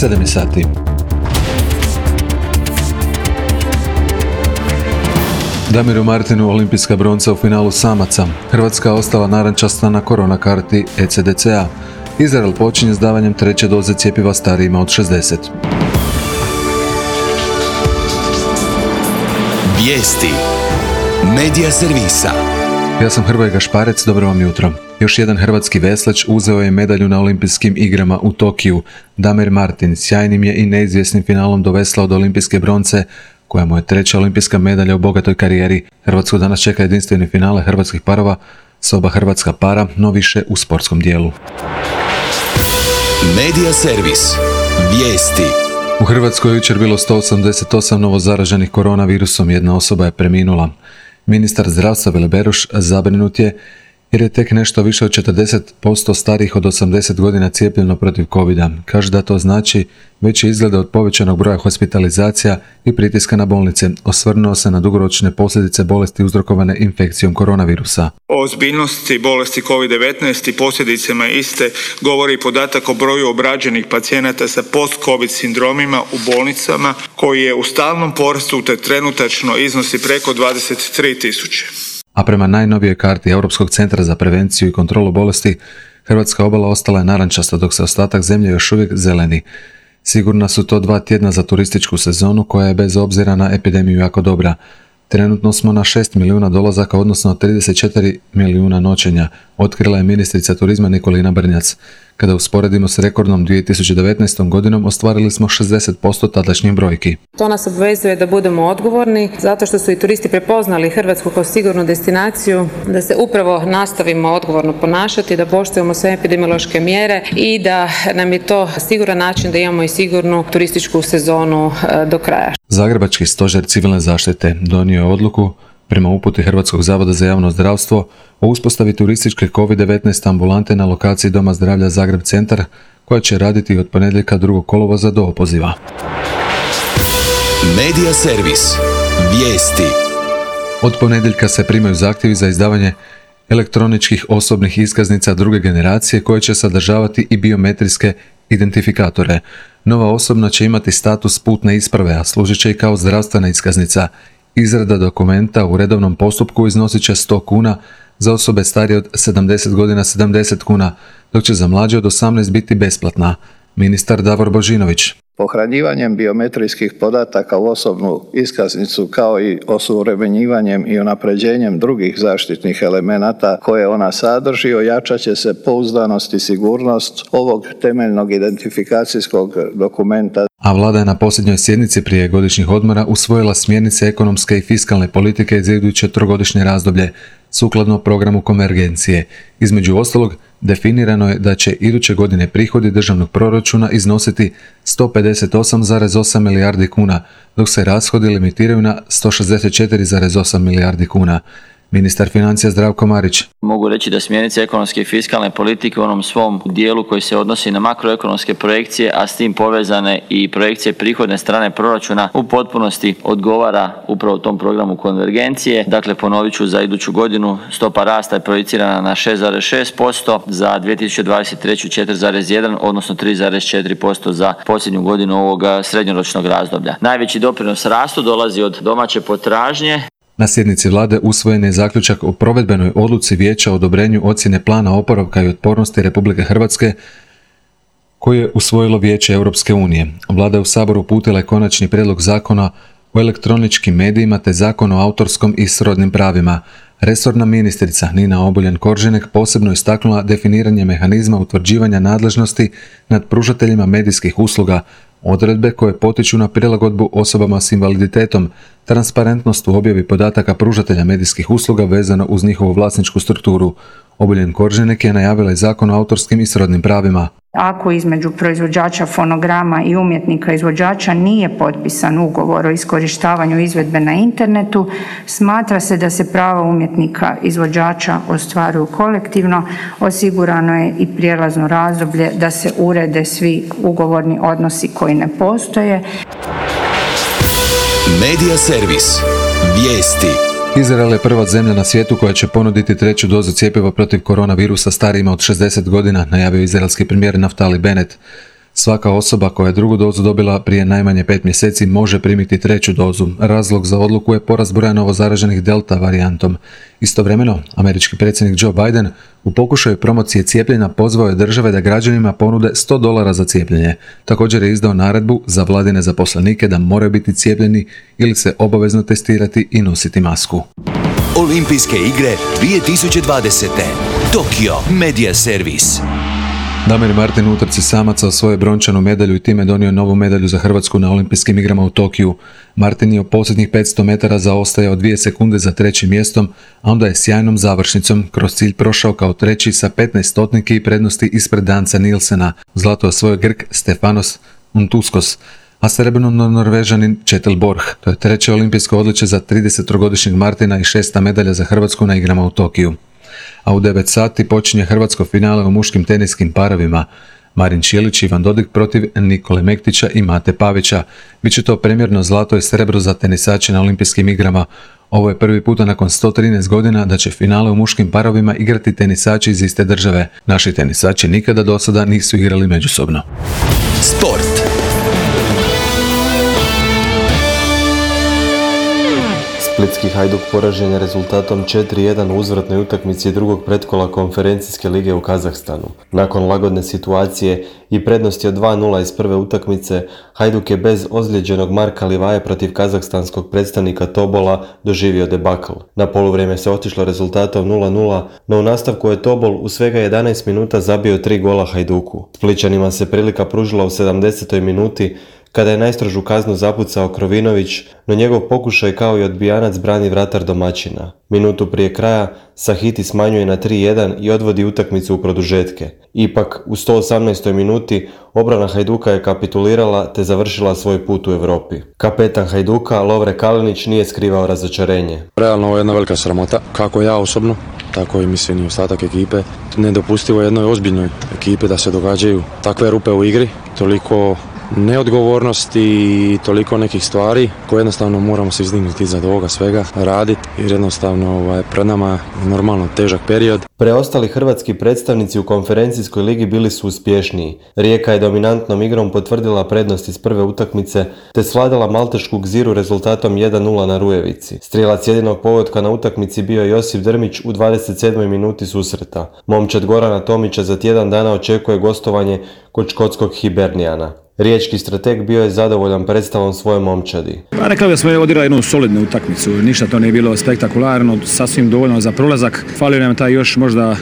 7 je sati. Damiru Martinu olimpijska bronca u finalu samaca. Hrvatska ostala narančasta na korona karti ECDC-a. Izrael počinje s davanjem treće doze cjepiva starijima od 60. Vijesti. Medija servisa. Ja sam Hrvoje Gašparec, dobro vam jutro. Još jedan hrvatski veslač uzeo je medalju na olimpijskim igrama u Tokiju. Damir Martin sjajnim je i neizvjesnim finalom doveslao do olimpijske bronce, koja mu je treća olimpijska medalja u bogatoj karijeri. Hrvatsku danas čeka jedinstveni finale hrvatskih parova s oba hrvatska para, no više u sportskom dijelu. Medija servis. Vijesti. U Hrvatskoj je jučer bilo 188 novo zaraženih koronavirusom, jedna osoba je preminula. Ministar zdravstva Vili Beroš zabrinut je jer je tek nešto više od 40% starijih od 80 godina cijepljeno protiv covida. Kaže da to znači veći izglede od povećanog broja hospitalizacija i pritiska na bolnice. Osvrnuo se na dugoročne posljedice bolesti uzrokovane infekcijom koronavirusa. O ozbiljnosti bolesti COVID-19 i posljedicama iste govori podatak o broju obrađenih pacijenata sa post-COVID sindromima u bolnicama, koji je u stalnom porastu te trenutačno iznosi preko 23.000. A prema najnovijoj karti Europskog centra za prevenciju i kontrolu bolesti, hrvatska obala ostala je narančasta, dok se ostatak zemlje još uvijek zeleni. Sigurna su to 2 tjedna za turističku sezonu, koja je bez obzira na epidemiju jako dobra. Trenutno smo na 6 milijuna dolazaka, odnosno 34 milijuna noćenja, otkrila je ministrica turizma Nikolina Brnjac. Kada usporedimo s rekordnom 2019. godinom, ostvarili smo 60% tadašnjih brojki. To nas obvezuje da budemo odgovorni, zato što su i turisti prepoznali Hrvatsku kao sigurnu destinaciju, da se upravo nastavimo odgovorno ponašati, da poštujemo sve epidemiološke mjere i da nam je to siguran način da imamo i sigurnu turističku sezonu do kraja. Zagrebački stožer civilne zaštite donio je odluku prema uputi Hrvatskog zavoda za javno zdravstvo o uspostavi turističke COVID-19 ambulante na lokaciji Doma zdravlja Zagreb centar, koja će raditi od ponedjeljka 2. kolovoza do opoziva. Medija servis. Vijesti. Od ponedjeljka se primaju zahtjevi za izdavanje elektroničkih osobnih iskaznica druge generacije, koje će sadržavati i biometrijske identifikatore. Nova osobna će imati status putne isprave, a služit će i kao zdravstvena iskaznica. Izrada dokumenta u redovnom postupku iznosit će 100 kuna, za osobe starije od 70 godina 70 kuna, dok će za mlađe od 18 biti besplatna. Ministar Davor Božinović. Pohranjivanjem biometrijskih podataka u osobnu iskaznicu, kao i osuvremenjivanjem i unapređenjem drugih zaštitnih elemenata koje ona sadrži, ojačat će se pouzdanost i sigurnost ovog temeljnog identifikacijskog dokumenta. A vlada je na posljednjoj sjednici prije godišnjih odmora usvojila smjernice ekonomske i fiskalne politike za iduće 3-godišnje razdoblje, sukladno programu konvergencije. Između ostalog, definirano je da će iduće godine prihodi državnog proračuna iznositi 158,8 milijardi kuna, dok se rashodi limitiraju na 164,8 milijardi kuna. Ministar financija Zdravko Marić. Mogu reći da smjernice ekonomske i fiskalne politike u onom svom dijelu koji se odnosi na makroekonomske projekcije, a s tim povezane i projekcije prihodne strane proračuna, u potpunosti odgovara upravo tom programu konvergencije. Dakle, ponovit ću, za iduću godinu stopa rasta je projicirana na 6,6%, za 2023. 4,1%, odnosno 3,4% za posljednju godinu ovoga srednjoročnog razdoblja. Najveći doprinos rastu dolazi od domaće potražnje. Na sjednici vlade usvojen je zaključak o provedbenoj odluci Vijeća o odobrenju ocjene plana oporavka i otpornosti Republike Hrvatske, koji je usvojilo Vijeće Europske unije. Vlada je u Saboru uputila konačni prijedlog zakona o elektroničkim medijima te zakon o autorskom i srodnim pravima. Resorna ministrica Nina Obuljen Koržinek posebno istaknula definiranje mehanizma utvrđivanja nadležnosti nad pružateljima medijskih usluga, odredbe koje potiču na prilagodbu osobama s invaliditetom, transparentnost u objavi podataka pružatelja medijskih usluga vezano uz njihovu vlasničku strukturu. Obuljen Koržinek je najavila i zakon o autorskim i srodnim pravima. Ako između proizvođača fonograma i umjetnika izvođača nije potpisan ugovor o iskorištavanju izvedbe na internetu, smatra se da se prava umjetnika izvođača ostvaruju kolektivno, osigurano je i prijelazno razdoblje da se urede svi ugovorni odnosi koji ne postoje. Medija servis. Vijesti. Izrael je prva zemlja na svijetu koja će ponuditi treću dozu cjepiva protiv koronavirusa starijima od 60 godina, najavio izraelski premijer Naftali Bennett. Svaka osoba koja je drugu dozu dobila prije najmanje 5 mjeseci može primiti treću dozu. Razlog za odluku je porast broja novozaraženih delta varijantom. Istovremeno, američki predsjednik Joe Biden u pokušaju promocije cijepljenja pozvao je države da građanima ponude $100 za cijepljenje. Također je izdao naredbu za vladine zaposlenike da moraju biti cijepljeni ili se obavezno testirati i nositi masku. Olimpijske igre 2020. Tokio Media Servis. Damir Martin u utrci samaca osvojio brončanu medalju i time donio novu medalju za Hrvatsku na Olimpijskim igrama u Tokiju. Martin je u posljednjih 500 metara zaostajao 2 sekunde za trećim mjestom, a onda je sjajnom završnicom kroz cilj prošao kao treći sa 15 stotniki i prednosti ispred Danca Nilsena. Zlato je osvojio Grk Stefanos Untuskos, a srebrno Norvežanin Kjetil Borch. To je treće olimpijsko odličje za 30-godišnjeg Martina i 6. medalja za Hrvatsku na igrama u Tokiju. A u 9 sati počinje hrvatsko finale u muškim teniskim parovima. Marin Čilić i Ivan Dodig protiv Nikole Mektića i Mate Pavića. Biće to premjerno zlato i srebro za tenisače na Olimpijskim igrama. Ovo je prvi puta nakon 113 godina da će finale u muškim parovima igrati tenisači iz iste države. Naši tenisači nikada do sada nisu igrali međusobno. Sport. Splitski Hajduk poražen je rezultatom 4-1 u uzvratnoj utakmici drugog pretkola konferencijske lige u Kazahstanu. Nakon lagodne situacije i prednosti od 2-0 iz prve utakmice, Hajduk je bez ozlijeđenog Marka Livaje protiv kazahstanskog predstavnika Tobola doživio debakl. Na poluvrijeme se otišlo rezultatom 0-0, no u nastavku je Tobol u svega 11 minuta zabio 3 gola Hajduku. Splićanima se prilika pružila u 70. minuti, kada je najstrožu kaznu zapucao Krovinović, no njegov pokušaj kao i odbijanac brani vratar domaćina. Minutu prije kraja Sahiti smanjuje na 3-1 i odvodi utakmicu u produžetke. Ipak, u 118. minuti obrana Hajduka je kapitulirala te završila svoj put u Europi. Kapetan Hajduka, Lovre Kalinić, nije skrivao razočarenje. Realno ovo je jedna velika sramota, kako ja osobno, tako i mislim i ostatak ekipe. Nedopustivo je jednoj ozbiljnoj ekipi da se događaju takve rupe u igri, toliko neodgovornosti i toliko nekih stvari koje jednostavno moramo se izdignuti iza ovoga svega, raditi jer jednostavno pred nama je normalno težak period. Preostali hrvatski predstavnici u konferencijskoj ligi bili su uspješniji. Rijeka je dominantnom igrom potvrdila prednost iz prve utakmice te svladala maltešku Gziru rezultatom 1-0 na Rujevici. Strijelac jedinog pogotka na utakmici bio je Josip Drmić u 27. minuti susreta. Momčad Gorana Tomića za tjedan dana očekuje gostovanje kod škotskog Hibernijana. Riječki strateg bio je zadovoljan predstavom svoje momčadi. Rekao da smo odigrali jednu solidnu utakmicu, ništa to nije bilo spektakularno, sasvim dovoljno za prolazak. Falio nam taj još možda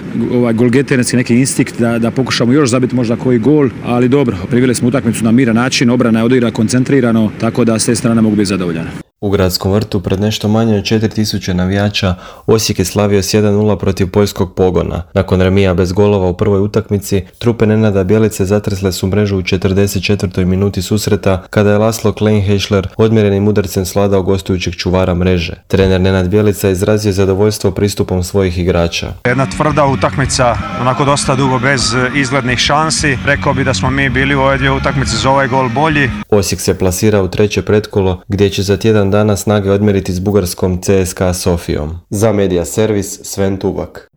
golgeterski neki instinkt da pokušamo još zabiti možda koji gol, ali dobro, priveli smo utakmicu na miran način, obrana je odigrala koncentrirano, tako da s te strane mogu biti zadovoljan. U Gradskom vrtu pred nešto manje od 4000 navijača Osijek je slavio s 1-0 protiv poljskog Pogona. Nakon remija bez golova u prvoj utakmici, trupe Nenada Bjelice zatresle su mrežu u 44. minuti susreta kada je Laslo Kleinheischler odmjerenim udarcem svladao gostujućeg čuvara mreže. Trener Nenad Bjelica izrazio zadovoljstvo pristupom svojih igrača. Jedna tvrda utakmica, onako dosta dugo bez izglednih šansi. Rekao bi da smo mi bili u ove dvije utakmice za ovaj gol bolji. Osijek se plasira u treće pretkolo gdje će za tjedan dana snage odmjeriti s bugarskom CSKA Sofijom. Za Media Servis Sven Tubak.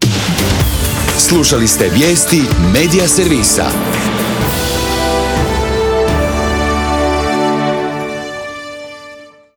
Slušali ste vijesti Media Servisa.